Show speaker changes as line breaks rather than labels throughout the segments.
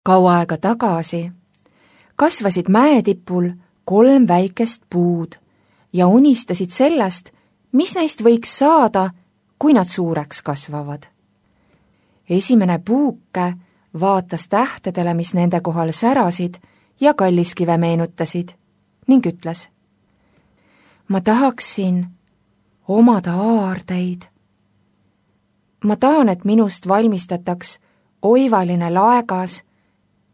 Kaua aega tagasi kasvasid mäetipul 3 väikest puud ja unistasid sellest, mis neist võiks saada, kui nad suureks kasvavad. Esimene puuke vaatas tähtedele, mis nende kohal särasid ja kalliskive meenutasid ning ütles: ma tahaksin omada aardeid. Ma tahan, et minust valmistataks oivaline laegas,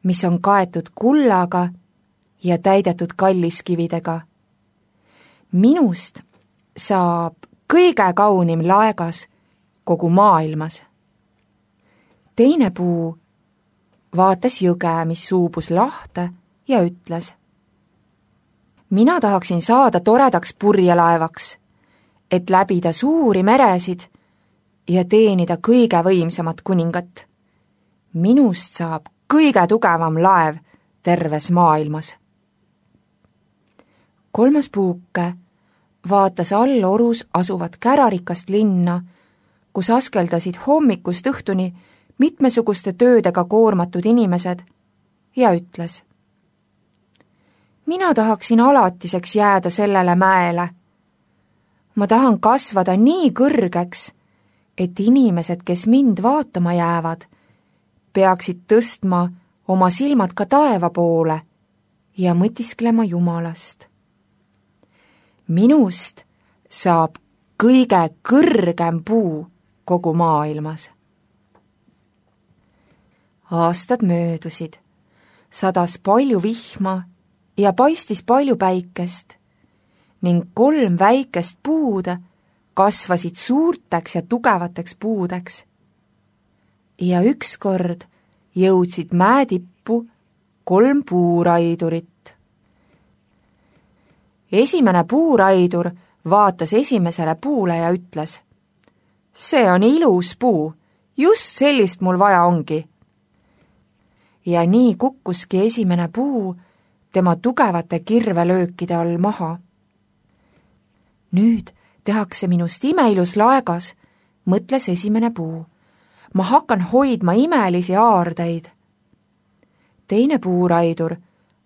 mis on kaetud kullaga ja täidetud kalliskividega. Minust saab kõige kaunim laegas kogu maailmas. Teine puu vaatas jõge, mis suubus lahte ja ütles: mina tahaksin saada toredaks purjelaevaks, et läbida suuri meresid ja teenida kõige võimsamat kuningat. Minust saab kõige tugevam laev terves maailmas. 3. puuke vaatas all orus asuvat kärarikast linna, kus askeldasid hommikust õhtuni mitmesuguste töödega koormatud inimesed ja ütles: mina tahaksin alatiseks jääda sellele mäele. Ma tahan kasvada nii kõrgeks, et inimesed, kes mind vaatama jäävad, peaksid tõstma oma silmad ka taeva poole ja mõtisklema Jumalast. Minust saab kõige kõrgem puu kogu maailmas. Aastad möödusid, sadas palju vihma ja paistis palju päikest ning 3 väikest puud kasvasid suurteks ja tugevateks puudeks. Ja ükskord jõudsid mäetippu 3 puuraidurit. Esimene puuraidur vaatas esimesele puule ja ütles: see on ilus puu, just sellist mul vaja ongi. Ja nii kukkuski esimene puu tema tugevate kirvelöökide all maha. Nüüd tehakse minust imeilus laegas, mõtles esimene puu. Ma hakkan hoidma imelisi aardeid. Teine puuraidur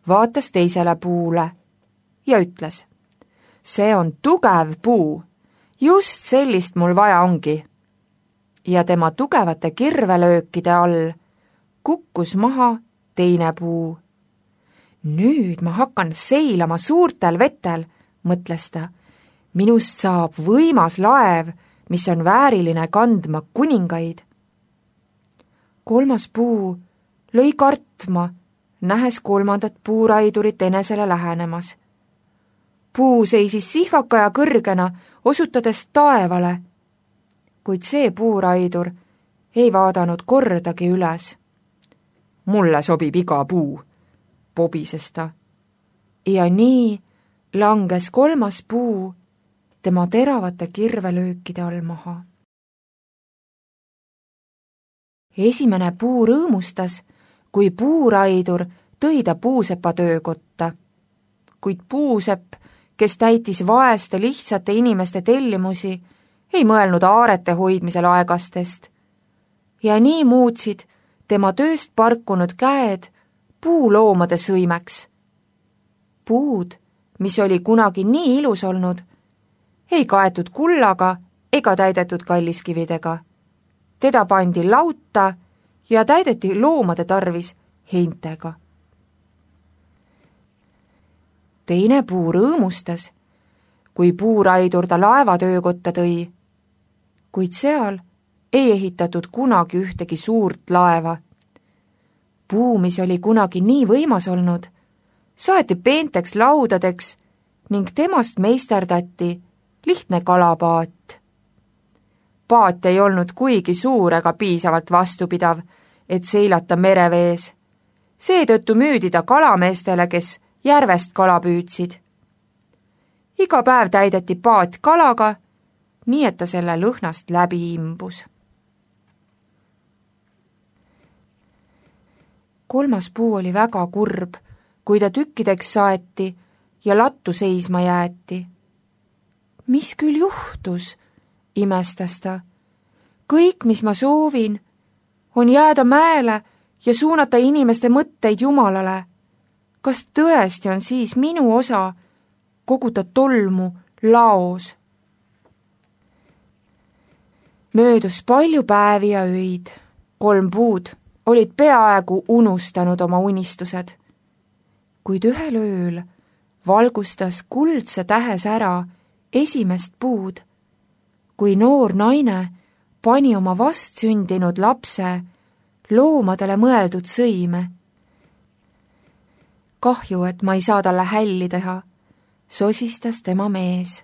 vaatas teisele puule ja ütles: see on tugev puu, just sellist mul vaja ongi. Ja tema tugevate kirvelöökide all kukkus maha teine puu. Nüüd ma hakkan seilama suurtel vetel, mõtles ta. Minust saab võimas laev, mis on vääriline kandma kuningaid. 3. puu lõi kartma, nähes 3. puuraidurit enesele lähenemas. Puu seisis sihvaka ja kõrgena, osutades taevale, kuid see puuraidur ei vaadanud kordagi üles. Mulle sobib iga puu, pobises ta. Ja nii langes 3. puu tema teravate kirvelöökide all maha. Esimene puu rõõmustas, kui puuraidur tõi ta puusepa töökotta. Kuid puusepp, kes täitis vaeste lihtsate inimeste tellimusi, ei mõelnud aarete hoidmisel aegastest. Ja nii muutsid tema tööst parkunud käed puuloomade sõimeks. Puud, mis oli kunagi nii ilus olnud, ei kaetud kullaga ega täidetud kalliskividega. Teda pandi lauta ja täideti loomade tarvis heintega. Teine puu rõõmustas, kui puuraidur ta laevatöökotta tõi, kuid seal ei ehitatud kunagi ühtegi suurt laeva. Puu, mis oli kunagi nii võimas olnud, saeti peenteks laudadeks ning temast meisterdati lihtne kalapaat. Paat ei olnud kuigi suur ega piisavalt vastupidav, et seilata merevees. Seetõttu müüdi ta kalameestele, kes järvest kala püüdsid. Iga päev täideti paat kalaga, nii et ta selle lõhnast läbi imbus. 3. puu oli väga kurb, kui ta tükkideks saeti ja lattu seisma jäeti. Mis küll juhtus, imestas ta. Kõik, mis ma soovin, on jääda mäele ja suunata inimeste mõtteid Jumalale. Kas tõesti on siis minu osa koguda tolmu laos? Möödus palju päevi ja öid. 3 puud olid peaaegu unustanud oma unistused. Kuid ühel ööl valgustas kuldse tähes ära esimest puud, kui noor naine pani oma vastsündinud lapse loomadele mõeldud sõime. Kahju, et ma ei saa talle hälli teha, sosistas tema mees.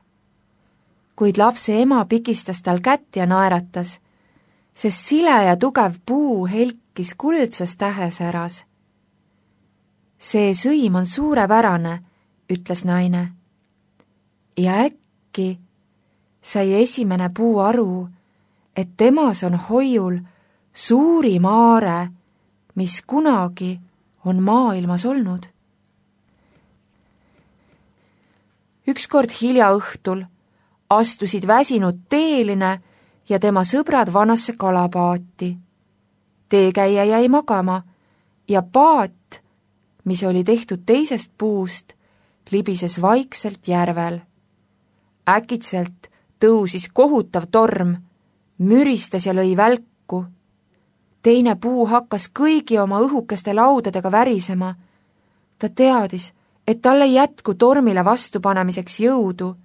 Kuid lapse ema pikistas tal kätt ja naeratas, sest sile ja tugev puu helkis kuldses tähes äras. See sõim on suurepärane, ütles naine. Ja äkki sai esimene puu aru, et temas on hoiul suurim aare, mis kunagi on maailmas olnud. Ükskord hilja õhtul astusid väsinud teeline ja tema sõbrad vanasse kalapaati. Teekäija jäi magama ja paat, mis oli tehtud teisest puust, libises vaikselt järvel. Äkitselt tõusis kohutav torm, müristas ja lõi välku. Teine puu hakkas kõigi oma õhukeste laudadega värisema. Ta teadis, et tal ei jätku tormile vastupanemiseks jõudu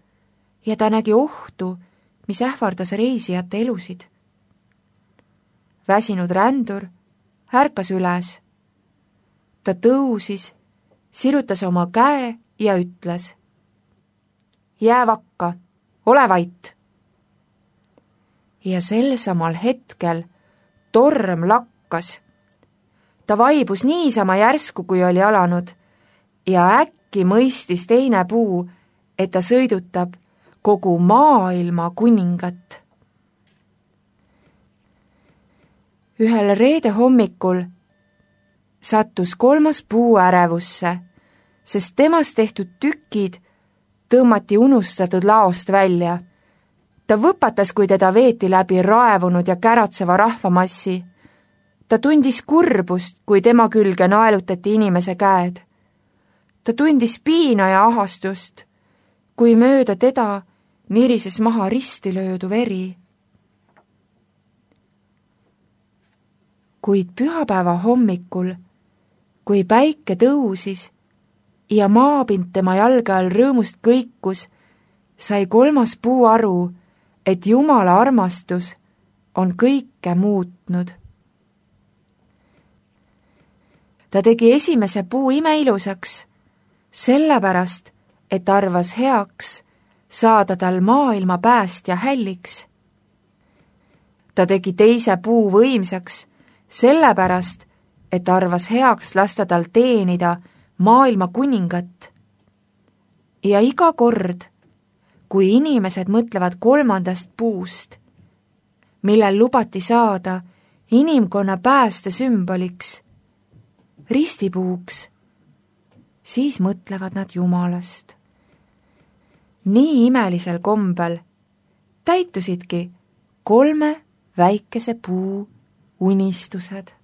ja ta nägi ohtu, mis ähvardas reisijate elusid. Väsinud rändur ärkas üles. Ta tõusis, sirutas oma käe ja ütles: Jää vakka, ole vait. Ja sel samal hetkel torm lakkas. Ta vaibus niisama järsku, kui oli alanud, ja äkki mõistis teine puu, et ta sõidutab kogu maailma kuningat. Ühel reede hommikul sattus 3. puu ärevusse, sest temast tehtud tükid tõmmati unustatud laost välja. Ta võpatas, kui teda veeti läbi raevunud ja käratseva rahvamassi. Ta tundis kurbust, kui tema külge naelutati inimese käed. Ta tundis piina ja ahastust, kui mööda teda nirises maha risti löödu veri. Kuid pühapäeva hommikul, kui päike tõusis ja maapind tema jalge all rõõmust kõikus, sai 3. puu aru, et Jumala armastus on kõike muutnud. Ta tegi esimese puu imeilusaks, sellepärast, et arvas heaks saada tal maailma päästja hälliks. Ta tegi teise puu võimsaks, sellepärast, et arvas heaks lasta tal teenida maailma kuningat. Ja iga kord, kui inimesed mõtlevad 3. puust, millel lubati saada inimkonna pääste sümboliks, ristipuuks, siis mõtlevad nad Jumalast. Nii imelisel kombel täitusidki 3 väikese puu unistused.